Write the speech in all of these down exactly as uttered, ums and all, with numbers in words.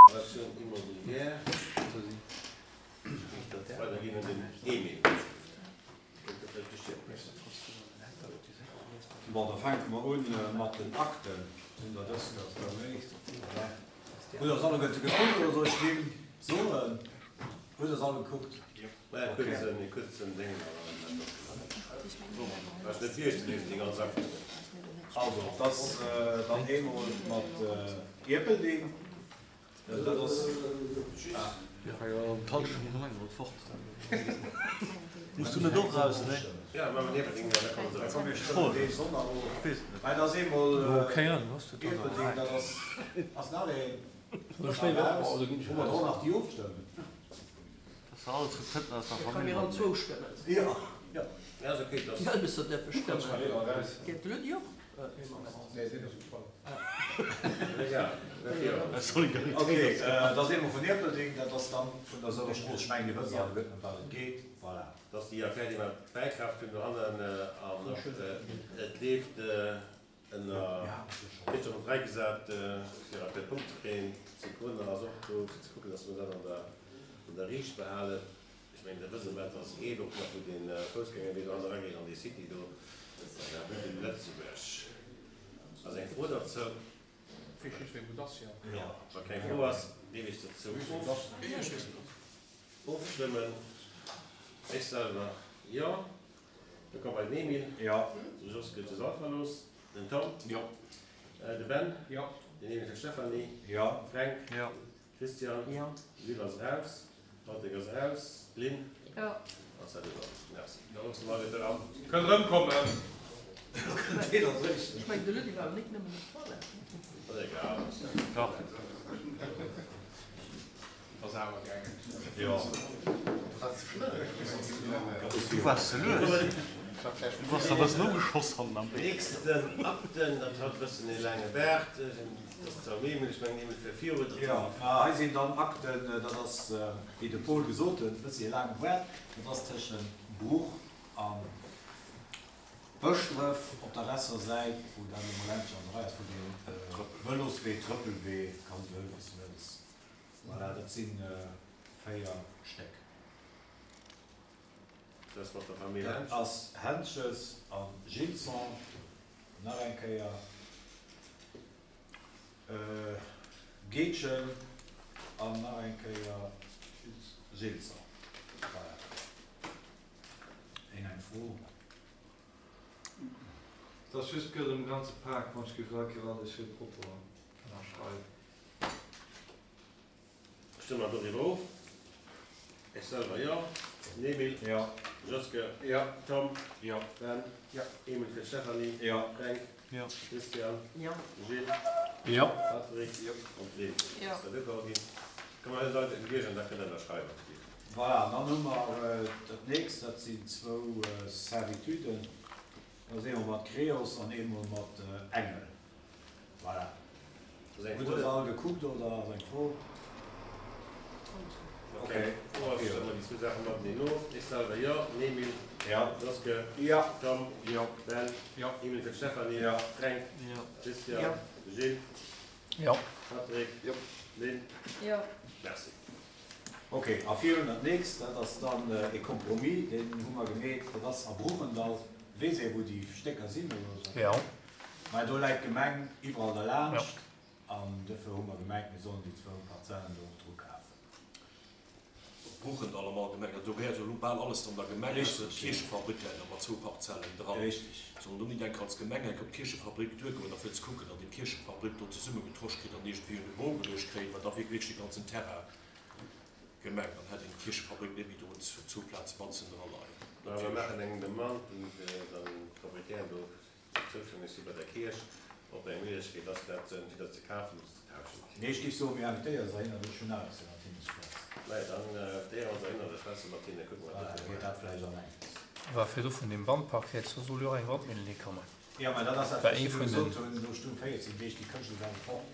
Relation immobilière. Weiderginn un den Emile. Kënnt der vläicht duerch hier. Bon, da fänke mer un mat den Akten. Sinn der dës? Hutt Der se alleguerte gekuckt oder soll ech d'Nimm soen? Hutt Der se all gekuckt? Mä e kuerzen, e kuerzen Déngen awer. Brauchst net virzelesen, déi ganz Akten. Also, et ass dann eemol mat Ierpeldeng. Dat ass. Dat ass eemol Ierpeldeng, dat ass, ass nach een eraus. Hu mer do nach déi ofstëmmen? Jo, jo. Ok, dat ass eemol vun Ierpeldeng, dat ass dann vun der Souer Strooss. Ech mengen, Dir wësst alleguerten, ëm wat et geet. Voilà. Dat ass déi Affär, déi mer bäikaaft hunn dohannen an et leeft ënner, gëtt schonn op d'Rei gesat, fir op de Punkt ze kréien. D'Sicona ass och do, fir ze kucken, datt mer dat an der, an der Riicht behalen. Ech mengen, der wësst ëm wat ass geet, och nach wou dee Foussgängerwee do hanne erageet an déi City do, an der Rue de Lëtzebuerg. Ass eng Fro derzou? Wa keng Fro ass, géif ech dozou ofstëmmen. Ech selwer jo. Da komme mer bei den Emile. Jo. De Jos gëtt sech och verlooss. Den Tom. Jo. De Ben. Jo. Den Emile Stephanie. Jo. Fränk. Jo. Christian. Jo. Gilles ass eraus. Patrick ass eraus. Lynn. Jo. Ass dat iwwer. Merci. Da loosse mer eis eran. Kënnt erëmkommen. Ech mengen, de Lydie war awer nik nëmmen op d'Toilette. Ass egal. Ass awer gaangen. Jo. Du waars ze lues. Du bass der e bëssen ugeschoss hannen am Wee. Nächsten Akten, dat hat e bëssen ee laange Baart. Dat ass zwar Emile, ech mengen Emile fir viru. Jo, hei sinn dann Akten, dat ass, wéi de Paul gesot huet, e bëssi e laange Baart. Dat ass tëschent Bruch a Bëschdref op der Resser Säit, wou dat emol endlech an der Rei ass, wou dee Vëloswee, Trëppelwee, kanns de huelen, wéi s de wëlls. Voilà, dat si véier Stéck. Dat ass mat der Famill Dat Hentges. ass Hentges a Gilson, nach eng Kéier Geetchen an nach eng Kéier Gilson. Voilà. Een eng Fro? Et ass just gëtt um ganze Pak, wann ech géif all Kéier alles schéi propper ënnerschreiwen. Stëmme mer doriwwer of? Ech selwer jo. Den Emile? Jo. Joske? Jo. Tom? Jo. Ben? Jo. Emile fir d'Stéphanie? Jo. Fränk? Jo. Christian? Jo. Gilles? Jo. Patrick? Jo. An d'Lynn? Jo. Ass dat ugeholl ginn? Komm mer hei den Bierger da kënnen ënnerschreiwen. Voilà, an dann hu mer dat nächst, dat sinn zwou Servituden. Dat ass eemol mat Creos an eemol mat Engel. Voilà. Ass eng Hutt Fro? Der se all gekuckt oder ass eng Fro? Ok, Fro ass, stëmme mer déi zwou Saache mateneen of. Ech selwer jo. Den Emile? Jo. Joske? Jo. Tom? Jo. Ben? Jo. Emile fir d'Stéphanie? Jo. Fränk? Jo. Christian? Jo. Gilles? Jo. Patrick? Jo. Lynn? Jo. Merci. Ok, a virun dat nächst, dat ass dann e Compromis, deen hu mer gemeet, dat ass a Bruchendall. Weess ee wou déi Stécker sinn oder esou? Jo. Mä do läit d'Gemeng iwwerall derlaanscht Jo. an dofir hu mer gemengt, mir sollen déi zwou Parzellen do och dru kafen. Bruchendall am Allgemengen, do gehéiert jo elo bal alles dann der Gemeng, ausser Richteg, jo. d'Kierchefabrik läit nach mat zwou Parzellen dran. Richteg. Soll mer do nit enk als Gemeng enk op d'Kierchefabrik duergoen a fir ze kucken, datt een d'Kierchefabrik do zesummegetrosch kritt an iergendwéi un de Bou geluecht kréien, well da wier wierklech de ganzen Terrain Gemeng, dann hätt een d'Kierchefabrik net méi do un zwou Plaze matzen dra leien. Mä mir maachen eng Demande un d'Proprietären do, déi zoustänneg si bei der Kierch, ob eng Méiglechkeet ass, dat entweder ze kafen oder ze tauschen. Nee, ech géif soen, mir invitéiere se hinner, ech hunn awer ze mat hinne schwätzen. Maja, dann invitéiere mer se hinner, da schwätze mat hinne, kucke mer, Voilà, wat da geet dat vläicht an enges. War virdu vun deem Wandpark rieds, do soll jo och eng Wandmillen hikommen. Jo, mä dat ass dat, War wat ee ech vun gesot den. hunn, do stoung véierzéng Deeg, déi Kënschtler ware fort.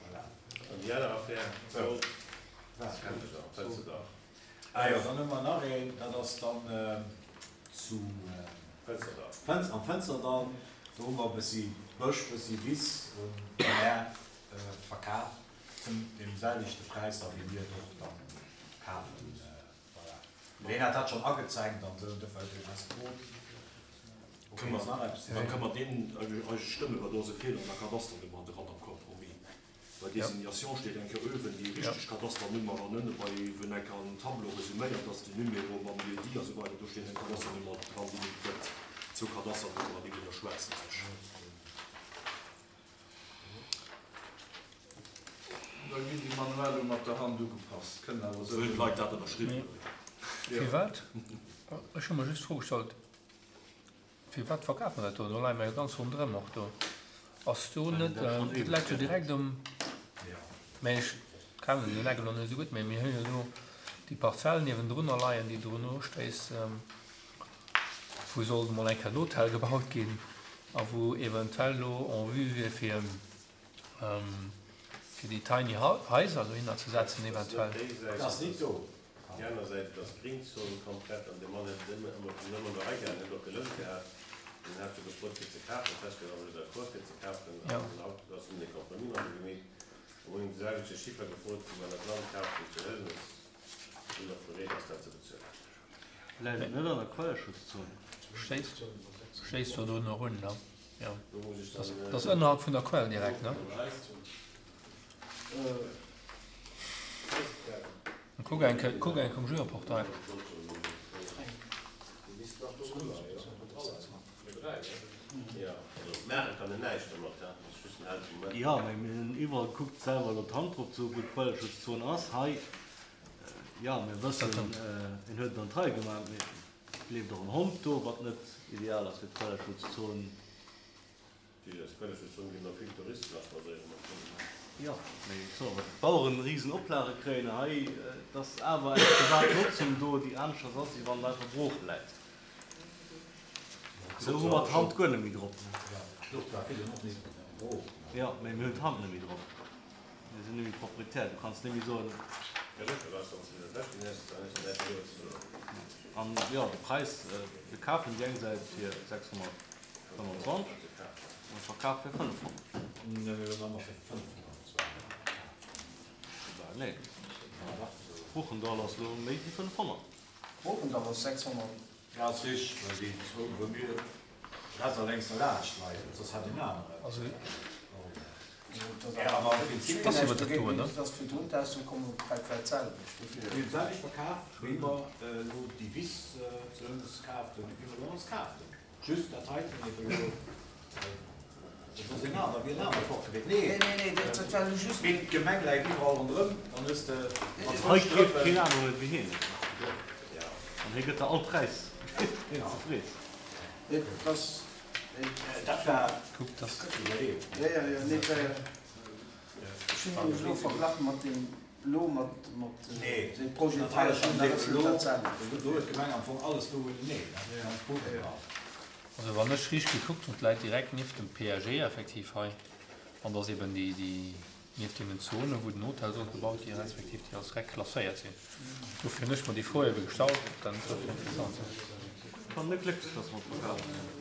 Voilà. An déi aner Affär Sou, sollt, wat? kennt Der, Fënsterdach. Ah jo, dann hu mer nach een, dat ass dann zu Fënsterdall. Fënz, am Fënsterdall. Do hu mer e bëssi Bësch, bëssi Wiss un d'Mär verkaf. Zum deem selwechte Präis da wéi mir et och dann kafen. Voilà. Mee hien hat dat schonn agezenkt an esou, dofir huet hien eis gefrot. Okay, ass nach eppes? Dann kënne mer deen eise stëmmen, well do ass e Feeler an der Kadasternummer dran am Compromis. Bei Désignation steet eng Kéier uewen déi richteg Kadasternummer an ënne bei wou eng Kéier en Tableau resuméiert ass, den Numéro mam Lieu-dit a sou weider, do steet eng Kadasternummer dran, déi net gëtt. Zwou Kadasternummeren, déi widderschwätzen sech. Da ginn déi manuell elo mat der Hand ugepasst. Kënnen awer esou. Wëllen d'Leit dat ënnerschriwwen hunn? Firwat? Ech hu mer just d'Fro gestallt, Firwat verkafe mer dat do? Do leie mer jo ganz ronderëm och do. Ass do net, dat läit jo direkt um, mä ech kennen den Eck elo net esou gutt, mä mir hunn jo do déi Parzell niewendrunner leien, déi drun ustéisst, wou sollt emol eng Kéier en Hotel gebaut ginn a wou eventuell elo en vue wier fir, fir déi Tiny Haiser dohinner ze setzen eventuell. Dat ass net do. Déi aner Säit, et ass d'Gringzon komplett an de Mann huet et ëmmer ëmmer an der Rei gehat, huet och gelount gehat. Hien hat jo gefrot fir ze kafen, festgestallt, awer just d'accord fir ze kafen. An haut ass hunn e Compromis mat em gemeet. An hunn him de selwechte Chiffer gefrot, wéi mer dat Land kafen zu Hëlmes. Sinn och bereet ass dat ze bezuelen. Läit et net an der Quelleschutzzon? Stéisst, stéisst do drun erun, ne? Jo. Dat ass ënnerhalb vun der Quell direkt, ne? Kuck eng Kéier, kuck eng Kéier um Geoportail. Jo, mee mir hunn iwwerall gekuckt, selwer elo d'Hand drop ze hu wou d'Quelleschutzzon ass. Hei, jo, mir wëssen, en huet et an d'Rei gemaach, mee et leeft och en Hond do, wat net ideal ass fir d'Quelleschutzzon. Jo, mee ech soen, wa d'Baueren risen Oplage kréien hei, et ass awer eng privat Notzung do, déi aneschters ass, wéi wann et einfach brooch läit. Esou hu mer d'Hand guer net méi drop. Jo, mee mir hunn d'Hand net méi drop. Mir sinn net méi Proprietär. Du kanns net méi soen. An jo, de Präis, mir kafen déi eng Säit fir sechshonnertfënnwanzwanzeg an verkafe fir fënnefhonnert. Nee, Bruchendall ass elo méi wéi fënnefhonnert. Bruchendall ass sechshonnert. Ja, ass richteg, well déi zwou wou mir rechts a lénks derlaanscht leien, soss hätt een aneren. Also, Ja, awer am Prinzip. Ass iwwer dat doen, ne? Dat ass fir d'Hund auszekommen, dat war d'selwecht. Mir hunn d'selwecht verkaf, wéi mer elo déi Wiss zu Ëmmes kaaft hunn, wéi mer elo alles kaaft hunn. Just dat heiten ebe elo, dat ass een aner, wier en aner Fort gewiescht. Nee, Nee, nee, nee, dat war elo just. Mee d'Gemeng läit iwwerall ronderëm, dann hues de mat Hei zwou keeft Strëppen. keen aneren et wéi hien. An hie gëtt der all Präis, deen s de frees. Nee, dat ass. Dat war. Kuck, dass. Ja, ja, ja, nee, dat war. Ech hunn nämlech elo verglach mat deem elo, mat, mat deem Projet Dat hei ass hei, dat ass net dat selwecht. Do huet d'Gemeng am Fong alles do nee, dat wär ganz gut. Also wann ech richteg gekuckt hunn, et läit direkt nieft dem P A G effektiv hei, an dass eben déi, déi nieft deenen Zonen, wou den Hotel sollt gebaut ginn, respektiv déi als Reck klasséiert sinn. Dofir hunn ech mer déi Fro ebe gestallt, ob dat net dofir interessant ass. Ech war net glécklech, dass mer et verkaf hunn.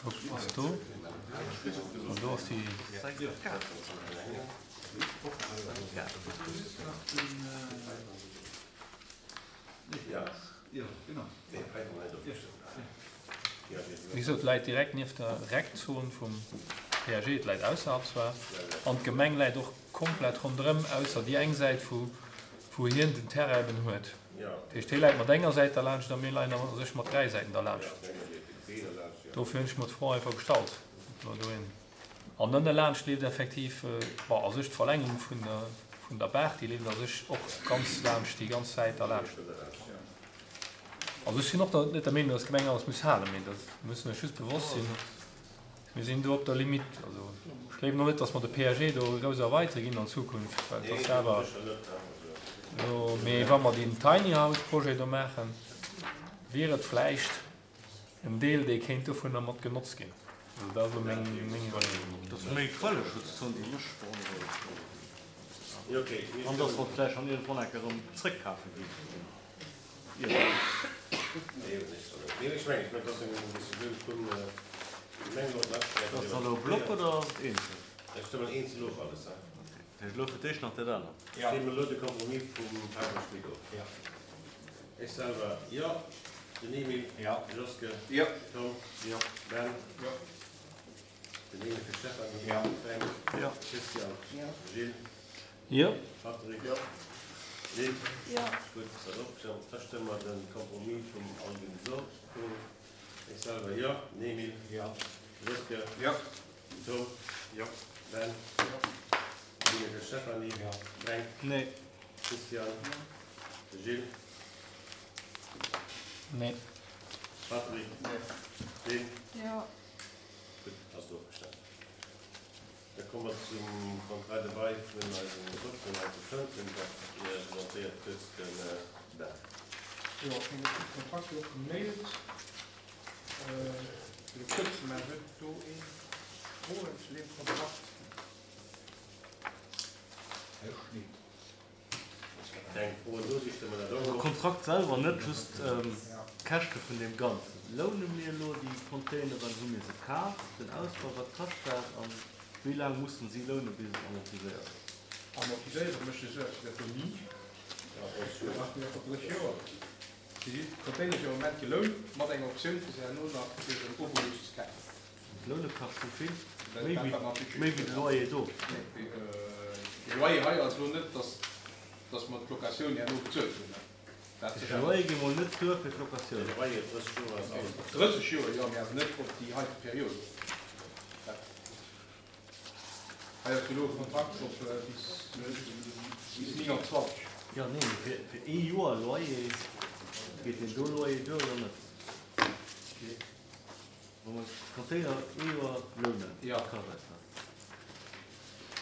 Kuck, ass do, an do ass déi. Wéi gesot, et läit direkt nieft der Reckzon vum P A G, et läit ausserhalb zwar, an d'Gemeng läit och komplett ronderëm, ausser déi eng Säit, wou wou hien den Terrain eben huet. Dat heescht, hie läit mat enger Säit derlaanscht a mir leien a sech mat dräi Säiten derlaanscht. Dofir hunn ech mer d'Fro einfach gestallt, ob mer do een. An ënne laanscht leeft effektiv, bon, a sech d'Verlängerung vun der vun der Baach, déi leeft a sech och ganz laanscht, déi ganz Säit derlaanscht. Also ech sinn och der, net der Meenung, dass d'Gemeng alles muss halen, mee dat mussen ech just bewosst sinn, mir sinn do op der Limite. Also ech gleewen och net, dass mer de P A G do grouss erweitere ginn an Zukunft, well et ass awer elo, mee wa mer deen Tiny House Projet do maachen, wier et vläicht en Deel, dee kéint dovunner mat genotzt ginn. Also dat ass elo meng, meng Iwwerleeung. Dat ass méi Quelleschutzzon, déi mech beonrouegt. An dass mer et vläicht dann iergendwann eng Kéier erëm zréckkafe ginn. oder eenzel? Ech stëmmen eenzel of alles, he? Okay. Dat heescht elo fir d'éischt nach dat anert. Ja. Stëmme elo de Compromis vum Patrick Schmit of. Ja. Ech selwer, jo. Den Emil. Ja. De Joske. Jo. Tom. Jo. Ben. Jo. Den Emil fir d'Stéphanie. Ja. Fränk. Jo. Christian. Jo. Gilles. Jo. Patrick. Jo. Lynn. Jo. Gutt, dat ass ofgestëmmt. Da stëmme mer de Compromis vum Alvin Sock of. Ech selwer, jo. Den Emil. Jo. Joske. Jo. Tom. Jo. Ben. Jo. Den Emil fir d'Stéphanie. Jo. Fränk. Nee. Christian. De Gilles. Nee. Patrick. Nee. Lynn. Jo. Gutt, ass et ofgestëmmt. Da komme mer zum Contrat de bail vun eisem Dokter, eise Fënten, dat presentéiert huet de Ben. Jo, ech hunn de Kontrakt jo och gemailt. Fir de kuerzen, mä huet do ee Froen zu deem Kontrakt? Ech nit. Keng Froen do, si stëmmen dat och De of. Kontrakt selwer, net just d'Käschte vun deem Ganzen. Loune mir elo déi Containeren, hu mir se kaf, den Ausbau, wat kascht dat a wéi laang mussen si lounen, bis et amortiséiert ass? Amortiséiere mécht de Suerg dat do ni. Dat maache mir einfach drësseg Joer. Si sinn d'Containere si am Moment gelount, mat enger Optioun fir se herno nach fir en Obolus ze kafen. D'Loune kascht wéi vill? Dat Méi dat wéi wat mer am Budget méi wéi de Loyer do. Nee, de Loyer hei ass elo net, dass dass mer d'Locatioun herno bezuelt hunn. Dat De sécher. Loyer geet mol net duer fir d'Locatioun. De Loyer drësseg Joer ass alles bezuelt. Drësseg Joer, jo, mee awer net op déi heite Period. Dat hei ass elo e Kontrakt op bis bis neunundzwanzeg. Jo, nee, mee fir fir ee Joer Loyer, geet deen do Loyer duer oder net? Wa mer d'Container ee Joer lounen, Ja. wat kascht eis dat?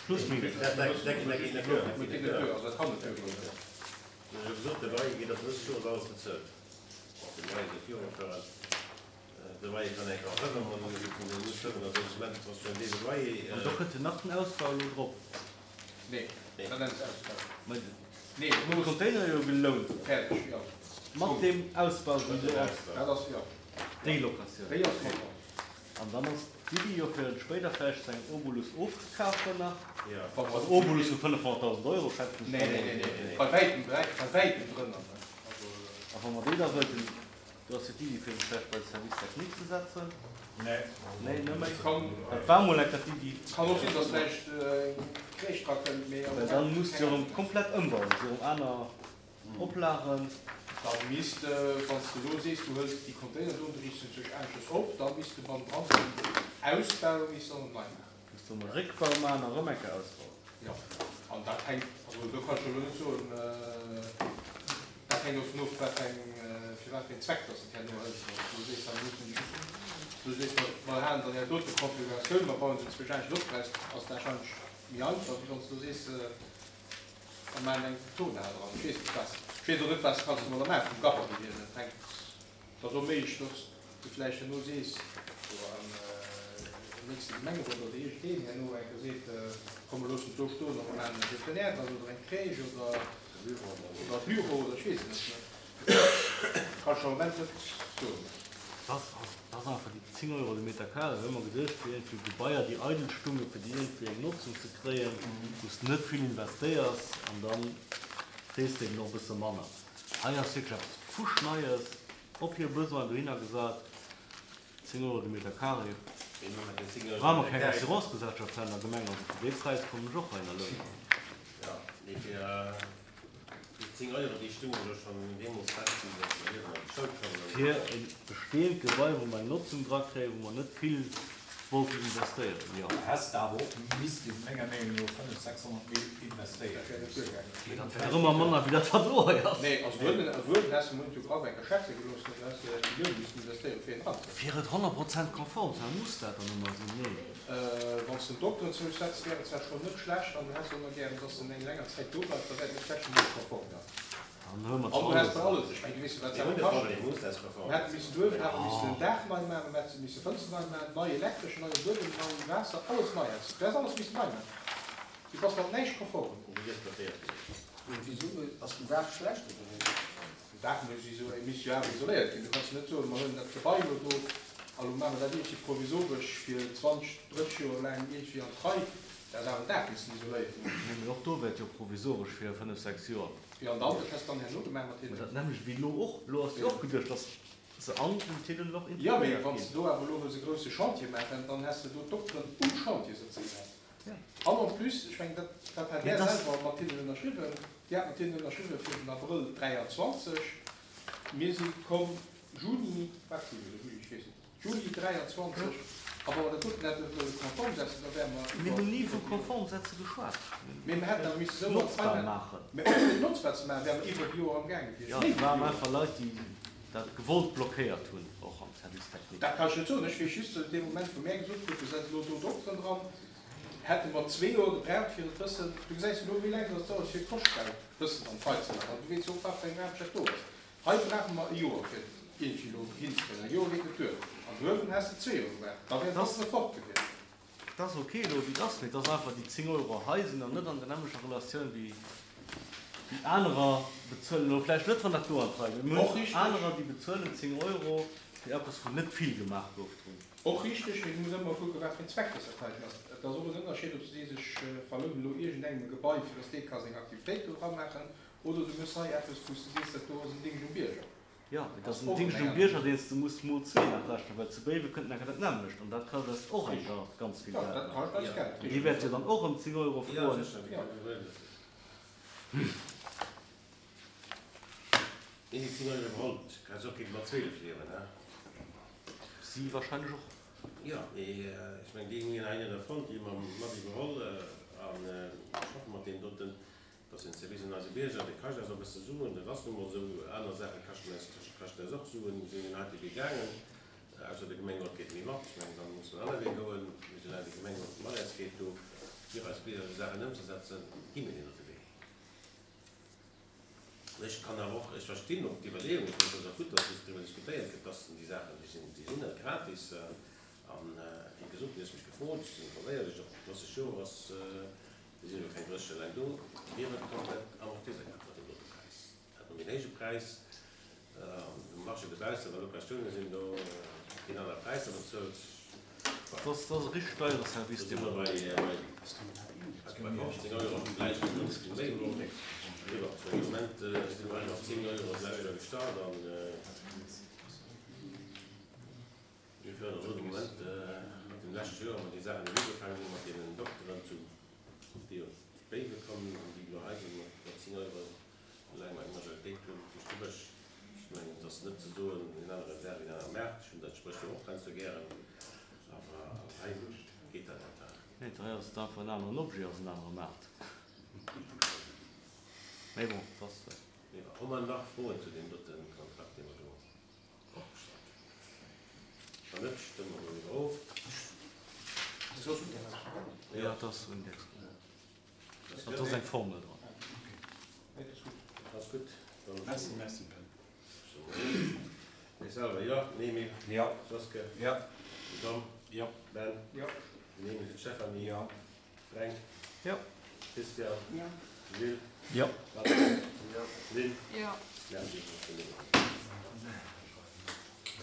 Plus minus. Dat dat dat geet net duer. Dat geet net duer, also dat kann net duergoen. Ech hu gesot, de Loyer geet op drësseg Joer, ass alles bezuelt. Och de Loyer dee viroféiert. De Loyer kann eng erhëllen, wann en muss hëllen, also de Moment ass schon dee Loyer. An do kënnt jo nach den Ausbau elo drop. Nee, Nee. dat nennt se Ausbau. Mä Nee, de elo Container jo gelount. Fäerdeg, jo. Mat deem Ausbau, wéi elo ass. Dat ass, jo. Déi Locatioun. Déi ass mat dran. An dann ass d'Iddi jo fir et spéider vläicht zu engem Obolus ofzekafen nach. Ja. Also Obolus vu fënnefhonnertdausend Euro schätzen ech Nee, da nee, mol. nee, nee, nee. Bei wäitem, bei wäitem drënner, ne. Also. A wa mer déi da wëllten, do ass jo d'Iddi fir se vläicht bei de Service technique ze setzen. Nee. Nee, net méi. Kann, Dat war mol eng Kéier d'Iddi. kann och sinn, dass vläicht eng Crèche dra kënnt, mee am Well Moment dann muss keng se erëm Ahnung. komplett ëmbauen, se erëm aner Oplagen. Da misst de, wann s de elo sees, du hëls déi Container do an du riichts se sech aneschters op, da misst de beim Brand den Ausbau misst dann nei maachen. Misst de emol Réckbau maachen a rëm eng Kéier ausbauen. Jo, an dat hänkt, also do kann ech elo net soen, dat hänkt dovun of, wat fir eng, fir wat fir een Zweck dass de et herno hëls. Wann s du sees, da mussen déi just, du sees, mer, mer halen dann dat dote Konfiguratioun, mer bauen se zwësch anescht op, ass dat warscheinlech méi einfach, wéi wann s du sees, mer maachen eng Turnhal dran. Ech weess net, was, ech weess och net, was kanns du mat der maachen vum Gabarit hier. Dat hänkt, et ass och méiglech, dass du vläicht herno sees, do am nächste Gemengerot oder iergendeen herno eng Kéier seet, komm mer loossen et do stoen a mer maachen e Plein-air dran oder eng Crèche oder oder e Büro oder ech weess et net. Kann ech am Moment net soen. Dat ass einfach déi zéng Euro de Meter carré. Hu mer geduecht, fir iergendwéi Gebaier, déi eidel stungen, fir déi iergendwéi eng Notzung ze kréien, wou s de net vill investéiers an da kriss de eben och e bësse manner. Hei ass wierklech eppes fuschneies op hir Besoin dohinner gesat, zéng Euro de Meter carré. Brauche mer keng Assurancegesellschaft hei an der Gemeng, also fir dee Präis kommen ech och heihinner lounen. Jo, mee fir déi zéng Euro, déi stungen jo schonn deemools fest, wéi se hier an d'Schoul koumen. Fir e besteeënd Gebai, wou mer eng Notzung dra kréien, wou mer net vill wollten investéieren, jo. Häss de awer och missten, menger Meenung no, fënnef, sechshonnert Mil investéieren. Mee dat wär ëmmer manner wéi dat, wat elo hei ass. Nee, also wuel, wuel häss de Mund jo graff eng Kéier schätze gelooss, do häss de Millioune missten investéieren, fir een eranzekréien. Fir et honnert Prozent konform ze maachen, muss dat dann ëmmer sinn? Nee. Wann s de den Dokteren zousetz, wär et zwar schonn net schlecht, an du häss och nach gären, dass en eng länger Zäit do bleift, da wär et net schlecht, wann et konform wär. Dann huele mer An du zwar häss bei alles. alles, ech mengen, du weess jo, wat Mir se hunn de awer kaschten. Problem, muss dat konform Mir hätte missen duerf, hätte missen Ah. den Daach nei maachen, mir hätte misse Fënster nei maachen, nei Elektresch, neie Buedem, nei Waasser, alles nei häss. Du häss alles missen nei maachen. Du bass mat näischt konform. Wéi gëtt dotéiert ginn? Und wieso ass den Daach schlecht oder wéi? Den Daach muss iso, misst jo awer isoléiert ginn. Du kanns jo net soen, mer huelen dat Gebai elo do A lo maache mer dat iergendwéi provisoresch fir zwanzeg, drësseg Joer laang iergendwéi an d'Rei. Dat ass awer dat missen isoléieren. Nee, mee och do wär et jo provisoresch fir fënnef, sechs Joer. Jo, an dann, dat häss de dann herno gemaach mat Mä hinnen. dat nämmlecht wéi elo och. Elo ass jo och geduecht, dass se an den Télélor Jo, mee integréiert wann s ginn. de do awer elo wëlls e grousse Chantier maachen, dann häss de do d'Dokteren um Chantier sëtze gehat. Ja. An en plus, ech mengen, dat, dat hat Mee Där dass. selwer mat hinnen ënnerschriwwen, Dir hat mat hinnen ënnerschriwwen fir den Abrëll dräianzwanzeg Mir si komm Juni, wat si mir, Juli, ech weess net, Juli dräianzwanzeg A wa mer dat doten hätte wëlle konform setzen, da wäre mer Mir iwwer hunn ni vu iwwer déi Joren. konform setze geschwat. Mee mer hätten awer misse esou an Notzbar d'Rei maachen. Mee och fir et notzbar ze maachen, wäre mer iwwer déi Joer amgaange gewiescht, Jo, méi et wéi déi waren Joer. einfach Leit, déi dat gewollt blockéiert hunn, och am Service technique. Dat kann ech net soen. Ech weess just, datt dee Moment, wou mär gesot kruten, mir setzen elo do Dokteren dran, hätte mer zwee Joer gebraucht, fir et bëssen, du gesäis jo elo, wéi laang datt et dauert, fir Koschtgeld bëssen an d'Rei ze maachen. An du weess jo och, wat fir eng Aarbecht dat do ass. Hei brauche mer e Joer, fir et iergendwéi elo hinzekréien. E Joer geet net duer. An duerwen häss de zwee Joer gebraucht. Da wären Dat ass d'Dokteren fort gewiescht. Dat ass ok elo, wéi et ass, mee et ass einfach, déi zéng Euro hei sinn dann net an der nämmlecher Relatioun wéi déi anerer bezuelen. Elo vläicht net, wann dat do an d'Rei geet, mee mir Och hunn richteg. anerer, déi bezuelen zéng Euro fir eppes, wou net vill gemaach gouf drun. Och richteg, mee du muss ëmmer kucken, wat fir en Zweck dass dat heiten ass. Et ass och en Ënnerscheed, ob s du sees, ech verlounen elo iergendengem e Gebai, fir dass dee ka seng Aktivitéit do dra maachen, oder du méchs hei eppes, wou s du sees, dat do ass en Dingscht um Bierger. Jo, et ass Ass en och Dingscht eng um aner Bierger, Geschicht. deen s de muss mol zwee nach rechnen, well zu Béiwe kënnt nach dat nämmlecht an dat kascht eis och eng Richteg. Kéier ganz vill Jo, Geld dat nach. kascht eis Jo. Geld, An dee richteg. wäert jo dann och ëm zéng Euro Jo, froen. sécher, Jo. Déi déi zéng Euro iwwerholl, kann se och géint mat zwielef liewen, he? Si wahrscheinlech och. Jo, mee ech mengen, déi hunn hei net erfonnt, déi hu mer mat iwwerholl an schaffe mat deenen doten. Dat ass en Service un eise Bierger, dee kascht eis och e bësse Suen, dat ass nu mol esou. Aner Saache kaschten eis, kaschten eis och Suen. Mir sinn den heite Wee gaangen, ausser de Gemengerot geet méi mat. Ech mengen, da muss en aner Wee goen. Mee soulaang de Gemengerot mat eis geet do, fir eis Bierger esou Saachen ëmzesetzen, gi mir deen dote Wee. Ech kann awer och, ech verstinn och d'Iwwerleeung, ech mengen, et ass och gutt, datt driwwer diskutéiert gëtt, dass déi Saachen, déi sinn, déi sinn net gratis. An, wéi gesot, Dir hutt mech gefrot, ech sinn informéiert, ech och drësseg Joer ass, Mir sinn elo keng drësseg Joer laang do, wier et komplett amortiséiert mat deem dote Präis. Dat mat méi héije Präis um Marché dobaussen, wa Locatioune sinn, do ginn aner Präisser bezuelt. Dat ass e richteg deiere Service, Do si dee mer mer bei bei fofzéng Euro, vläicht e bësschen méi elo. Mee bon, fir de Moment si mer mat zéng Euro d'lescht Joer gestart an mir féieren elo de Moment mat dem leschte Joer, wou mer déi Saachen elo ugefaangen hunn, mat deenen Dokteren zu déi op Béiwe kommen an déi elo hei sinn mat zéng Euro, soulaang mer eng Majoritéit hunn, duerch de Bësch. Ech mengen, et ass net ze soen, en anere Dag, en anere Maart. Ech hunn dat Spréchwuert och heiansdo gären, awer hei geet dat net. Nee, hei ass et einfach en aneren Objet, ass en anere Maart. Mee bon, et ass. Mee bon, hu mer nach Froen zu deem dote Kontrakt, dee mer do opgestallt hunn? Wann net, stëmme mer doriwwer of. Jo, et ass un Index. Dat ass eng Formel dran. Ass gutt. Merci, merci Ben. Ech selwer jo. Nemi. Jo. Joske. Jo. Tom. Jo. Ben. Jo. Nemi Stefanie. Jo. Fränk. Jo. Christian. Jo. Gilles. Jo. Patrick. Jo. Lynn. Jo. Merci.